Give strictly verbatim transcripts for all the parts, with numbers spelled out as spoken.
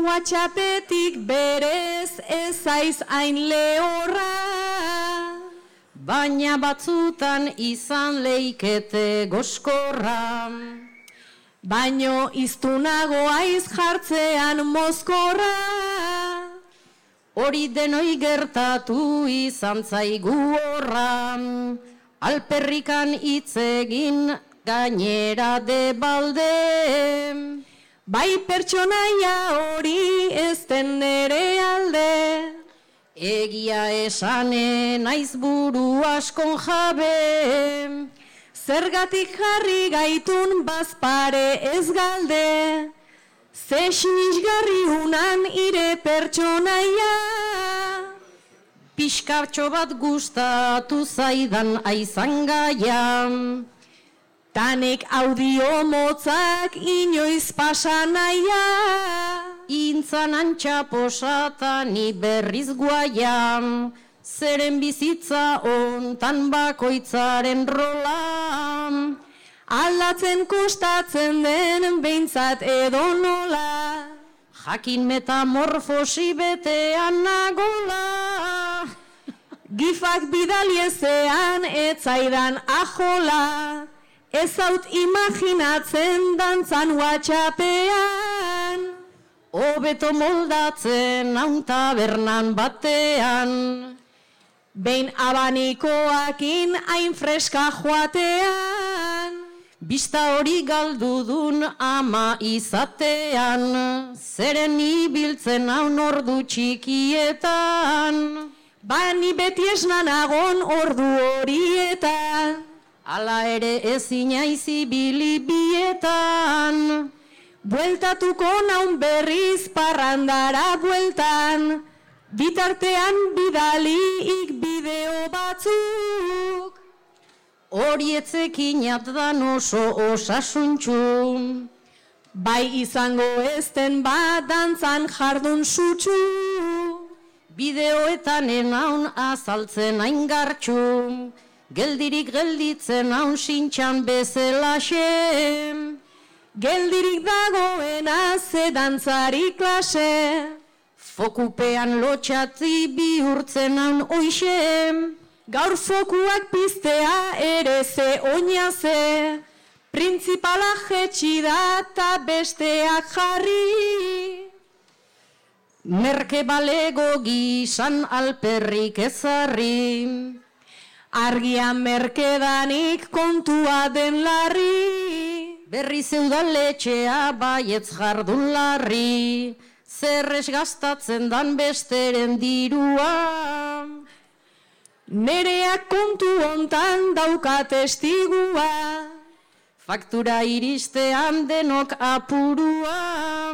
WhatsAppetik berez ezaiz hain lehorra. Baina batzutan izan leikete goskorra. Baino iztunago aiz jartzean mozkorra. Hori denoi gertatu izan zaigu horra. Alperrikan hitz egin gainera de balde. Bai pertsonaia hori ez den nere alde. Egia esane naiz buru askon jabe. Zergatik jarri gaitun bazpare ez galde. Ze sinisgarri unan ire pertsonaia. Pixkatxo bat gustatu zaidan aizan gaia. Tanek audio motzak inoiz pasanaia. Intzan antxa posata ni berriz guaia. Zeren bizitza ontan bakoitzaren rola. Aldatzen kostatzen den behintzat edo nola. Jakin metamorfosi betean nagola. Gifak bidaliezean etzaidan ajola. Ez haut imaginatzen dantzan WhatsAppean. Hobeto moldatzen haun tabernan batean. Behin abanikoakin hain freska joatean. Bista hori galdudun ama izatean. Zeren ibiltzen haun ordu txikietan. Bani beti esnan agon ordu horietan. Hala ere ezin aizi bilibietan. Bueltatuko naun berriz parrandara bueltan. Bitartean bidaliik bideo batzuk. Horietzekinat dan oso osasuntxu. Bai izango ezten bat dantzan jardun sutsu. Bideoetan enaun azaltzen aingartxu. Geldirik gelditzen haun sintxan bezelaxe. Geldirik dagoena ze dantzari klase. Fokupean lotxatzi bihurtzen haun oixe. Gaur fokuak piztea ere ze oina ze. Printzipala jetxi da ta besteak jarri. Merke balego gizan alperrik ezarri. Argian merkedanik kontua den larri. Berri zeudaletxea baietz jardun larri. Zerrez gastatzen dan besteren dirua. Nereak kontu hontan dauka testigua. Faktura iristean denok apurua.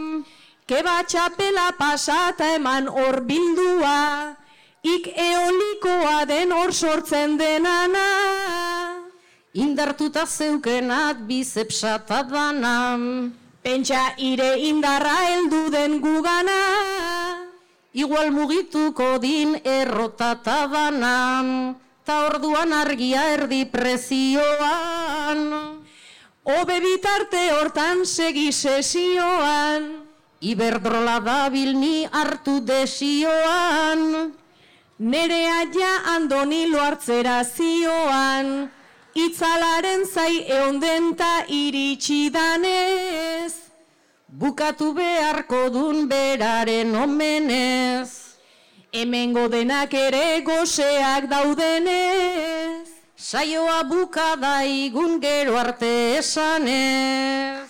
Keba txapela pasata eman hor bildua. Ik eolikoa den hor sortzen denana. Indartuta zeukenat bizepsata dana. Pentsa ire indarra heldu den gugana. Igual mugituko din errotata dana. Ta orduan argia erdi prezioan. Obe bitarte hortan segi sesioan. Iberdrola dabil ni hartu desioan. Nerea ja andonilo hartzera zioan. Itzalaren zai eondenta iritsi danez. Bukatu beharko dun beraren omenez. Hemengo denak ere goseak daudenez. Saioa bukadaigun gero arte esanez.